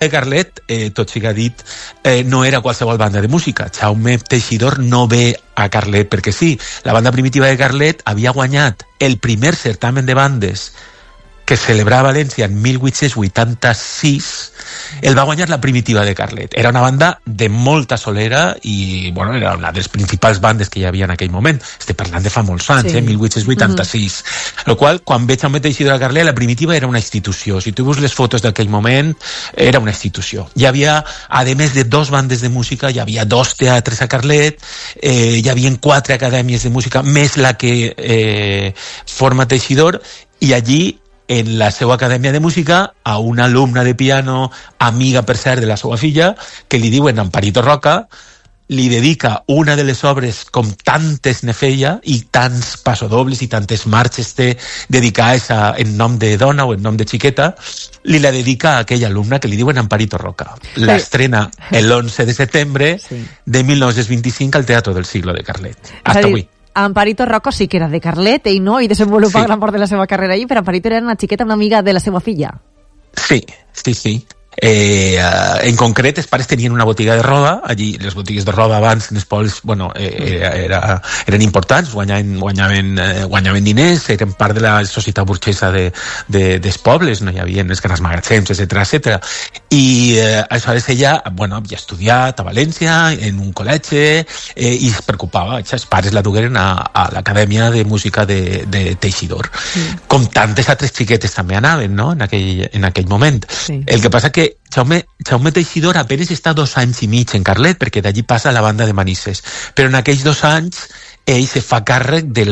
de Carlet, tot siga dit, no era qualsevol banda de música. Jaume Teixidor no ve a Carlet perquè sí. La banda primitiva de Carlet havia guanyat el primer certamen de bandes que celebrava a València en 1886, el va guanyar la primitiva de Carlet. Era una banda de molta solera i, bueno, era una de les principals bandes que hi havia en aquell moment. Estic parlant de fa molts anys, 1886. El qual, quan veig Jaume Teixidor a Carlet, la primitiva era una institució. Si tu veus les fotos d'aquell moment, era una institució. Hi havia, a més de 2 bandes de música, hi havia 2 teatres a Carlet, hi havia 4 acadèmies de música, més la que forma Teixidor, i allí en la seva acadèmia de música a una alumna de piano, amiga per cert de la seva filla, que li diuen Amparito Roca, li dedica una de les obres com tantes ne feia i tants passodobles i tantes marxes té dedicades en nom de dona o en nom de xiqueta, li la dedica a aquella alumna que li diuen Amparito Roca. L'estrena l'11 de setembre de 1925 al Teatro del Siglo de Carlet. Hasta avui. Amparito Roca sí que era de Carlet, ell no, i desenvolupa gran part de la seva carrera allí, però Amparito era una xiqueta, una amiga de la seva filla. Sí. En concret, els pares tenien una botiga de roba. Allí les botigues de roba abans en els pobles, bueno, eren importants, guanyaven diners, eren part de la societat burgesa dels pobles, no hi havia els grans magatzems, etc. I aleshores ella, bueno, havia estudiat a València en un col·legi i es preocupava, els pares la dugueren a l'Acadèmia de Música de Teixidor, com tantes altres xiquetes també anaven, no?, en aquell moment. El que passa que Jaume Teixidor apenas està 2 anys i mig en Carlet, perquè d'allí passa la banda de Manises, però en aquells 2 anys ell se fa càrrec de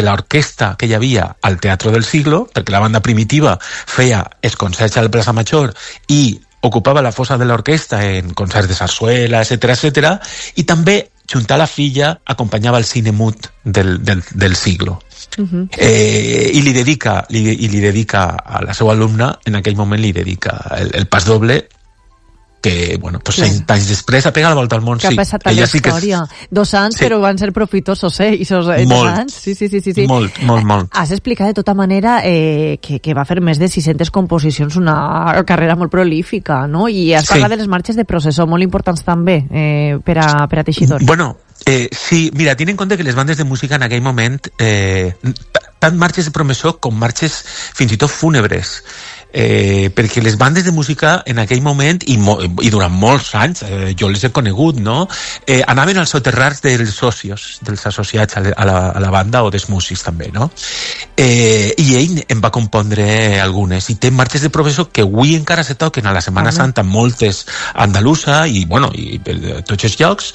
l'orquestra que hi havia al Teatro del Siglo, perquè la banda primitiva feia els concerts a la plaça Major i ocupava la fossa de l'orquestra en concerts de sarsuela, etc. I també, junt a la filla, acompanyava el cine mut del Siglo. I li dedica a la seva alumna, en aquell moment li dedica el pas doble, que, bueno, pues 100 anys després ha pegat la volta al món. Que ha passat a la història. 2 anys, però van ser profitosos, Molt. Sí. Molt. Has explicat de tota manera que va fer més de 600 composicions, una carrera molt prolífica, no? I has parlat de les marxes de processó, molt importants també per a Teixidor. Bueno, sí, mira, ten en compte que les bandes de música en aquell moment, tant marxes de processó com marxes fins i tot fúnebres, perquè les bandes de música en aquell moment i durant molts anys, jo les he conegut, no?, anaven als soterrars dels socios, dels associats a la banda, o dels músics també, no? I ell en va compondre algunes, i té marxes de professor que avui encara se toquen a la Setmana Santa, moltes a Andalusa i, bueno, i tots els llocs,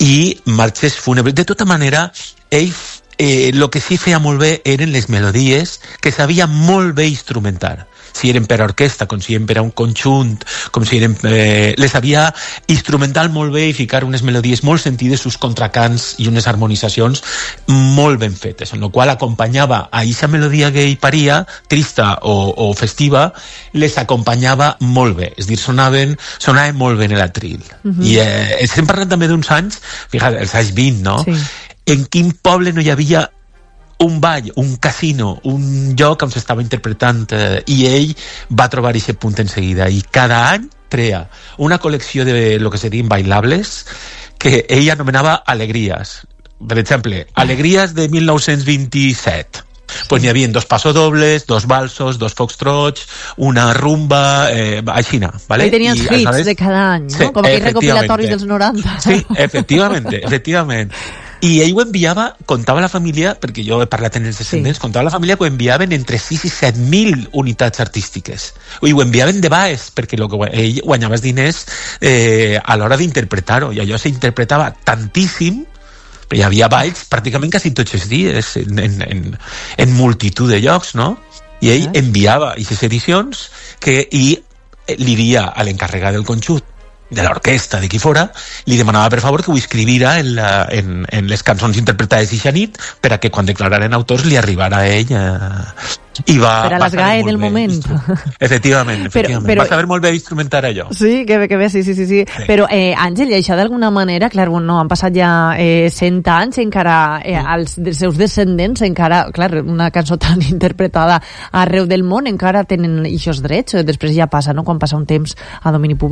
i marxes fúnebres. De tota manera, ell el que sí feia molt bé eren les melodies, que sabia molt bé instrumentar, si eren per a orquestra, com si eren per a un conjunt, com si eren... les sabia instrumentar molt bé i ficar unes melodies molt sentides, uns contracants i unes harmonitzacions molt ben fetes, en la qual acompanyava a aquesta melodia que ell paria, trista o festiva, les acompanyava molt bé, és a dir, sonaven molt bé en l'atril. I estem parlant també d'uns anys, fixa't, els anys 20, no? En quin poble no hi havia un ball, un casino, un lloc on s'estava interpretant, i ell va trobar aquest punt en seguida, i cada any crea una col·lecció de lo que serien bailables que ell anomenava alegries. Per exemple, alegries de 1927. Pues n'hi havia 2 passodobles, 2 valsos, 2 foxtrots, una rumba, aixina, ¿vale? Ahí tenías hits de cada any, ¿no? Com aquells recopilatoris dels 90. Sí, efectivament. I ell ho enviava, contava la família, perquè jo he parlat en els descendents, contava la família que ho enviaven entre 6 i 7.000 unitats artístiques. I ho enviaven de baix, perquè ell guanyava els diners a l'hora d'interpretar-ho, i allò s'interpretava tantíssim, però hi havia balls pràcticament quasi tots els dies, en multitud de llocs, no? I ell enviava aquestes edicions i li dia a l'encarregat del conjunt l'orquestra, de qui fora, li demanava per favor que ho escrivira en les cançons interpretades eixa nit per a que quan declararen autors li arribara a ell i va... Per a l'ESGAE del moment. Efectivament. Va saber molt bé instrumentar allò. Sí, que bé, sí. Però, Àngel, i això d'alguna manera, clar, no, han passat ja 100 anys, encara els seus descendents, encara, clar, una cançó tan interpretada arreu del món, encara tenen eixos drets, després ja passa, no?, quan passa un temps a domini públic.